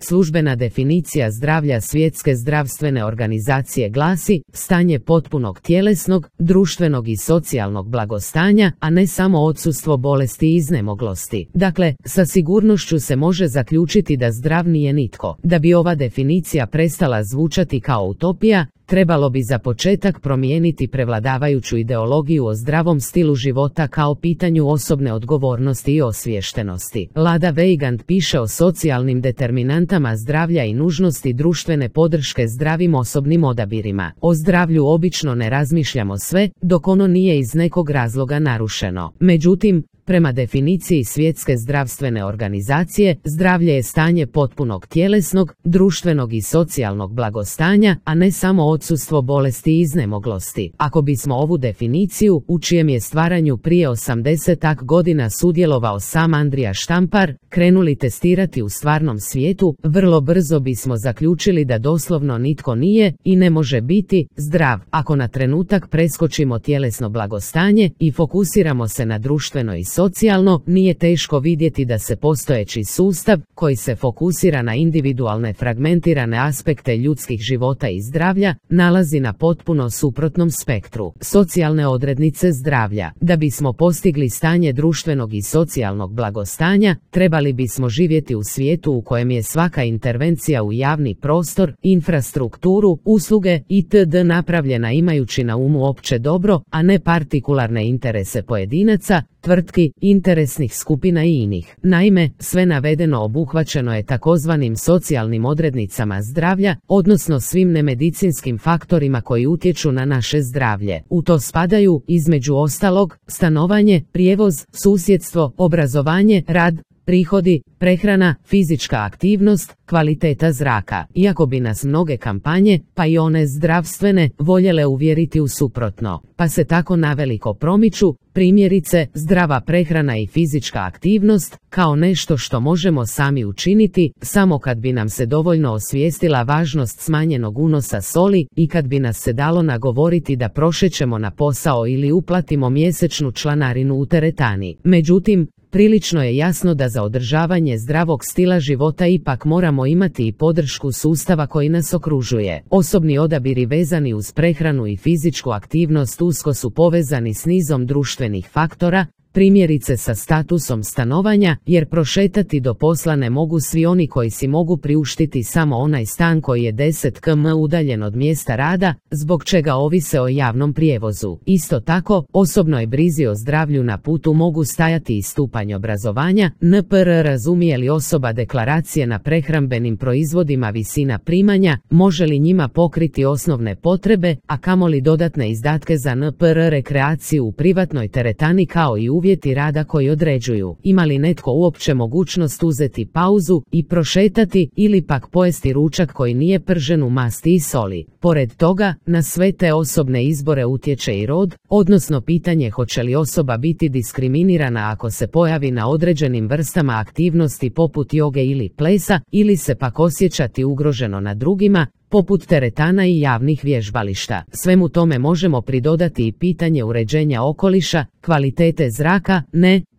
Službena definicija zdravlja Svjetske zdravstvene organizacije glasi: stanje potpunog tjelesnog, društvenog i socijalnog blagostanja, a ne samo odsustvo bolesti i iznemoglosti. Dakle, sa sigurnošću se može zaključiti da zdrav nije nitko. Da bi ova definicija prestala zvučati kao utopija, trebalo bi za početak promijeniti prevladavajuću ideologiju o zdravom stilu života kao pitanju osobne odgovornosti i osviještenosti. Lada Weigand piše o socijalnim determinantama zdravlja i nužnosti društvene podrške zdravim osobnim odabirima. O zdravlju obično ne razmišljamo sve, dok ono nije iz nekog razloga narušeno. Međutim, prema definiciji Svjetske zdravstvene organizacije, zdravlje je stanje potpunog tjelesnog, društvenog i socijalnog blagostanja, a ne samo odsustvo bolesti i iznemoglosti. Ako bismo ovu definiciju, u čijem je stvaranju prije 80 godina sudjelovao sam Andrija Štampar, krenuli testirati u stvarnom svijetu, vrlo brzo bismo zaključili da doslovno nitko nije i ne može biti zdrav. Ako na trenutak preskočimo tjelesno blagostanje i fokusiramo se na društveno i socijalno, nije teško vidjeti da se postojeći sustav, koji se fokusira na individualne fragmentirane aspekte ljudskih života i zdravlja, nalazi na potpuno suprotnom spektru. Socijalne odrednice zdravlja. Da bismo postigli stanje društvenog i socijalnog blagostanja, trebali bismo živjeti u svijetu u kojem je svaka intervencija u javni prostor, infrastrukturu, usluge itd. napravljena imajući na umu opće dobro, a ne partikularne interese pojedinaca, tvrtki, interesnih skupina i inih. Naime, sve navedeno obuhvaćeno je takozvanim socijalnim odrednicama zdravlja, odnosno svim nemedicinskim faktorima koji utječu na naše zdravlje. U to spadaju, između ostalog, stanovanje, prijevoz, susjedstvo, obrazovanje, rad, prihodi, prehrana, fizička aktivnost, kvaliteta zraka. Iako bi nas mnoge kampanje, pa i one zdravstvene, voljele uvjeriti u suprotno, pa se tako naveliko promiču, primjerice, zdrava prehrana i fizička aktivnost, kao nešto što možemo sami učiniti, samo kad bi nam se dovoljno osvijestila važnost smanjenog unosa soli i kad bi nas se dalo nagovoriti da prošećemo na posao ili uplatimo mjesečnu članarinu u teretani. Međutim, prilično je jasno da za održavanje zdravog stila života ipak moramo imati i podršku sustava koji nas okružuje. Osobni odabiri vezani uz prehranu i fizičku aktivnost usko su povezani s nizom društvenih faktora, primjerice sa statusom stanovanja, jer prošetati do posla ne mogu svi oni koji si mogu priuštiti samo onaj stan koji je 10 km udaljen od mjesta rada, zbog čega ovise o javnom prijevozu. Isto tako, osobnoj brizi o zdravlju na putu mogu stajati i stupanj obrazovanja, NPR razumije li osoba deklaracije na prehrambenim proizvodima visina primanja, može li njima pokriti osnovne potrebe, a kamoli dodatne izdatke za NPR rekreaciju u privatnoj teretani kao i uvjeti rada koji određuju ima li netko uopće mogućnost uzeti pauzu i prošetati ili pak pojesti ručak koji nije pržen u masti i soli. Pored toga, na sve te osobne izbore utječe i rod, odnosno pitanje hoće li osoba biti diskriminirana ako se pojavi na određenim vrstama aktivnosti poput joge ili plesa, ili se pak osjećati ugroženo na drugima, poput teretana i javnih vježbališta. Svemu tome možemo pridodati i pitanje uređenja okoliša, kvalitete zraka,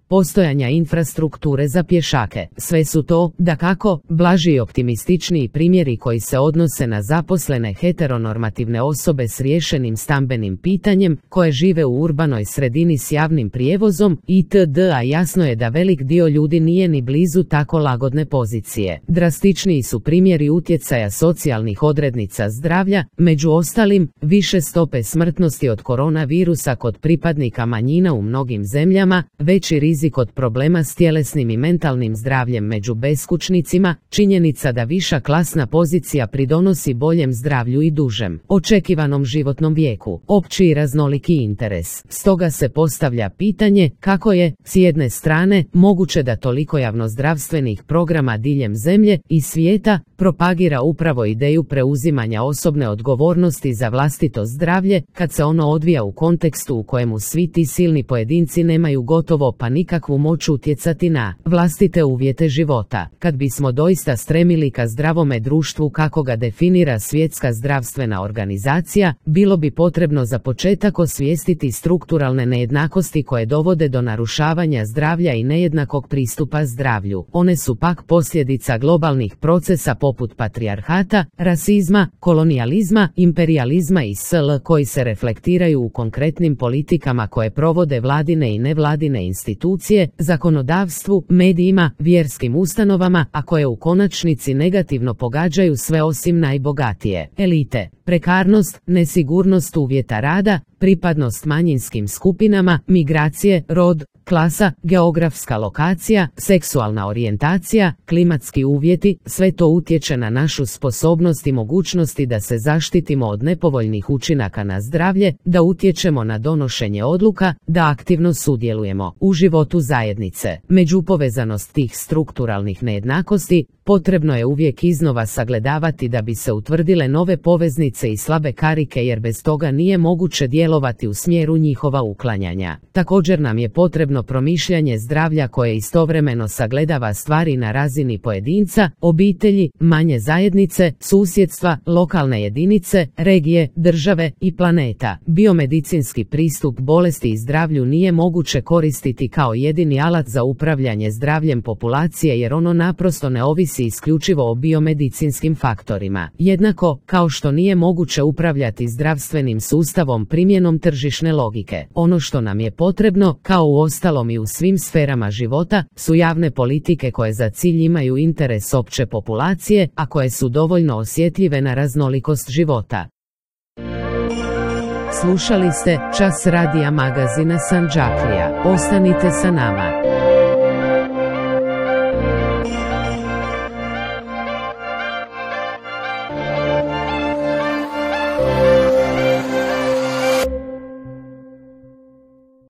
postojanja infrastrukture za pješake. Sve su to, dakako, blaži i optimističniji primjeri koji se odnose na zaposlene heteronormativne osobe s riješenim stambenim pitanjem, koje žive u urbanoj sredini s javnim prijevozom itd., a jasno je da velik dio ljudi nije ni blizu tako lagodne pozicije. Drastičniji su primjeri utjecaja socijalnih odrednica zdravlja, među ostalim, više stope smrtnosti od koronavirusa kod pripadnika manjina u mnogim zemljama, veći rizik od problema s tjelesnim i mentalnim zdravljem među beskućnicima, činjenica da viša klasna pozicija pridonosi boljem zdravlju i dužem očekivanom životnom vijeku, opći i raznoliki interes. Stoga se postavlja pitanje kako je, s jedne strane, moguće da toliko javnozdravstvenih programa diljem zemlje i svijeta propagira upravo ideju preuzimanja osobne odgovornosti za vlastito zdravlje, kad se ono odvija u kontekstu u kojemu svi ti silni pojedinci nemaju gotovo pa nikakvu moć utjecati na vlastite uvjete života. Kad bismo doista stremili ka zdravome društvu kako ga definira Svjetska zdravstvena organizacija, bilo bi potrebno za početak osvijestiti strukturalne nejednakosti koje dovode do narušavanja zdravlja i nejednakog pristupa zdravlju. One su pak posljedica globalnih procesa poput patrijarhata, rasizma, kolonijalizma, imperijalizma i sl. Koji se reflektiraju u konkretnim politikama koje provode vladine i nevladine institucije, zakonodavstvu, medijima, vjerskim ustanovama, a koje u konačnici negativno pogađaju sve osim najbogatije elite. Prekarnost, nesigurnost uvjeta rada, pripadnost manjinskim skupinama, migracije, rod, klasa, geografska lokacija, seksualna orijentacija, klimatski uvjeti, sve to utječe na našu sposobnost i mogućnosti da se zaštitimo od nepovoljnih učinaka na zdravlje, da utječemo na donošenje odluka, da aktivno sudjelujemo u životu zajednice. Međupovezanost tih strukturalnih nejednakosti potrebno je uvijek iznova sagledavati da bi se utvrdile nove poveznice i slabe karike, jer bez toga nije moguće djelovati u smjeru njihova uklanjanja. Također nam je potrebno promišljanje zdravlja koje istovremeno sagledava stvari na razini pojedinca, obitelji, manje zajednice, susjedstva, lokalne jedinice, regije, države i planeta. Biomedicinski pristup bolesti i zdravlju nije moguće koristiti kao jedini alat za upravljanje zdravljem populacije, jer ono naprosto ne ovisi isključivo o biomedicinskim faktorima. Jednako kao što nije moguće upravljati zdravstvenim sustavom primjenom tržišne logike. Ono što nam je potrebno, kao u ostalom i u svim sferama života, su javne politike koje za cilj imaju interes opće populacije, a koje su dovoljno osjetljive na raznolikost života. Slušali ste Čas radija magazina Sandžaklija. Ostanite sa nama.